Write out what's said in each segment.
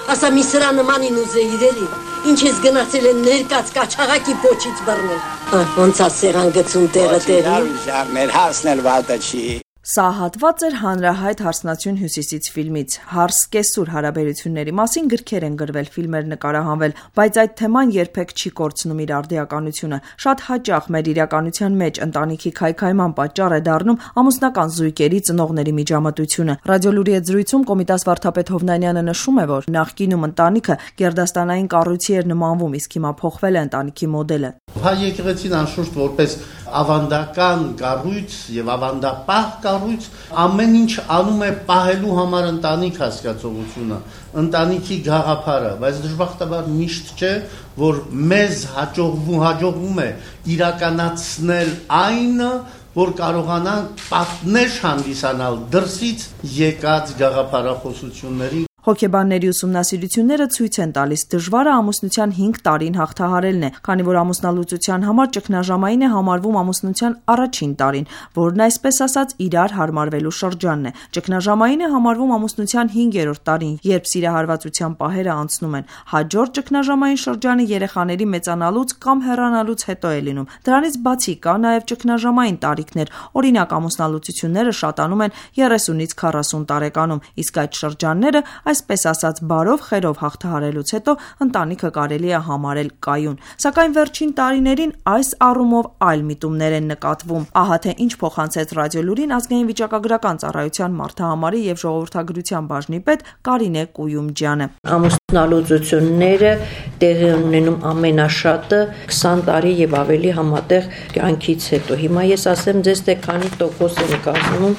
Ասա մի սրա նմանին ուզեիր էլի, ինչ ես գնացել են ներկած կաչաղակի պոչից բռնել։ Ոնց է սերան գցում տեղը տեղի։ Հասնել վատը չի։ Սա հատված էր հանրահայտ «Հարսնացյուն հյուսիսից» ֆիլմից։ Հարս-կեսուր հարաբերությունների մասին գրքեր են գրվել, ֆիլմեր նկարահանվել, բայց այդ թեման երբեք չի կորցնում իր արդիականությունը։ Շատ հաճախ մեր իրականության մեջ ընտանիքի քայքայման պատճառ է դառնում ամուսնական զույգերի ծնողների միջամտությունը։ Ռադիոլուրի հետ զրույցում Կոմիտաս վարդապետ Հովնանյանը նշում է, որ նախկինում ընտանիքը գերդաստանային կառույցի էր նմանվում, իսկ հիմա փոխվել է ընտանիքի մոդելը։ Հայ եկեղեցին անշուշտ որպես ավանդական կառույց եւ ավանդապահ կառույց ամեն ինչ անում է պահելու համար ընտանիք հասկացողությունը, ընտանիքի գաղափարը, բայց դժբախտաբար միշտ չէ, որ մեզ հաջողվում է իրականացնել այն, որ կարողանանք պատնեշ հանդիսանալ դրսից եկած գաղափարախոսությունների։ Հոգեբանների ուսումնասիրությունները ցույց են տալիս, դժվարը ամուսնության 5 տարին հաղթահարելն է, քանի որ ամուսնալուծության համար ճգնաժամային է համարվում ամուսնության առաջին տարին, որն այսպես ասած իրար հարմարվելու շրջանն է։ Ճգնաժամային է համարվում ամուսնության 5-րդ տարին, երբ սիրահարվածության պահերը անցնում են։ Հաջորդ ճգնաժամային շրջանը երեխաների մեծանալուց կամ հեռանալուց հետո է լինում։ Դրանից բացի կա նաև ճգնաժամային տարիքներ, օրինակ ամուսնալուծությունները շատանում են 30-ից 40 տարեկանում, իսկ այդ շրջանները այսպես ասած բարով խերով հաղթահարելուց հետո ընտանիքը կարելի է համարել կայուն։ Սակայն վերջին տարիներին այս առումով այլ միտումներ են նկատվում։ Ահա թե ինչ փոխանցեց Ռադիոլուրին ազգային վիճակագրական ծառայության մարդահամարի եւ ժողովրդագրության բաժնի պետ Կարինե Կույումջյանը։ Ամուսնալուծությունները տեղի ունենում ամենաշատը 20 տարի եւ ավելի համատեղ կյանքից հետո։ Հիմա ես ասեմ ձեզ, թե քանի տոկոս են կազմում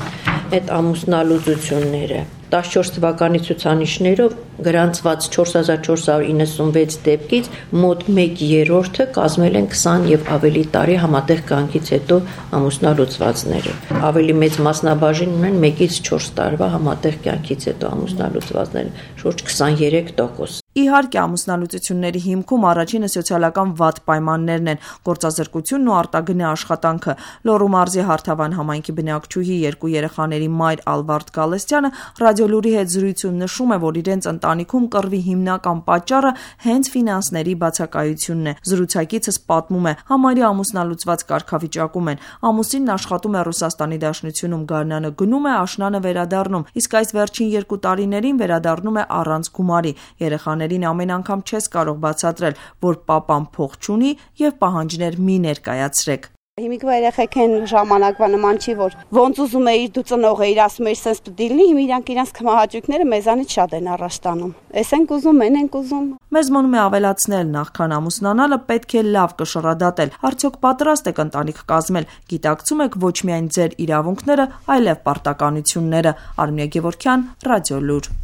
այդ ամուսնալուծությունները։ 14 թվականի ցուցանիշներով գրանցված 4496 դեպքից մոտ 1/3-ը կազմել են 20 եւ ավելի տարի համատեղ կյանքից հետո ամուսնալուծվածները։ Ավելի մեծ մասնաբաժին ունեն 1-ից 4 տարվա համատեղ կյանքից հետո ամուսնալուծվածները, շուրջ 23%։ Իհարկե, ամուսնալուծությունների հիմքում առաջինը սոցիալական վատ պայմաններն են, գործազրկությունն ու արտագնե աշխատանքը։ Լոռու մարզի Հարթավան համայնքի բնակչուհի 2 երեխաների մայր Ալվարդ Գալստյանը Ռադիոլուրի հետ զրույցում նշում է, որ իրենց ընտանիքում կռվի հիմնական պատճառը հենց ֆինանսների բացակայությունն է։ Զրուցակիցս պատմում է, համարյա ամուսնալուծված կարգավիճակում են։ Ամուսինն աշխատում է Ռուսաստանի Դաշնությունում, գարնանը գնում է, աշնանը վերադառնում, իսկ այս վերջին 2 տարիներին վերադառնում է առանց գումարի։ Երեխաներին ամեն անգամ չես կարող բացատրել, որ պապան փող չունի եւ պահանջներ մի ներկայացրեք։ Հիմիկվա երեխեք են ժամանակվա նման չի, որ ոնց ուզում էիր դու ծնող էիր, ասում էիր սենց պետք է լինի, հիմա իրանք իրանց քմահաճույքները մեզանից շատ են առաջ տանում։ Էս ենք ուզում, են ենք ուզում։ Մեզ մնում է ավելացնել, նախքան ամուսնանալը պետք է լավ կշռադատել։ Արդյոք պատրաստ եք ընտանիք կազմել, գիտակցում եք ոչ միայն ձեր իրավունքները, այլև պարտականությունները։ Արմինե Գևորգյան, Ռադիոլուր։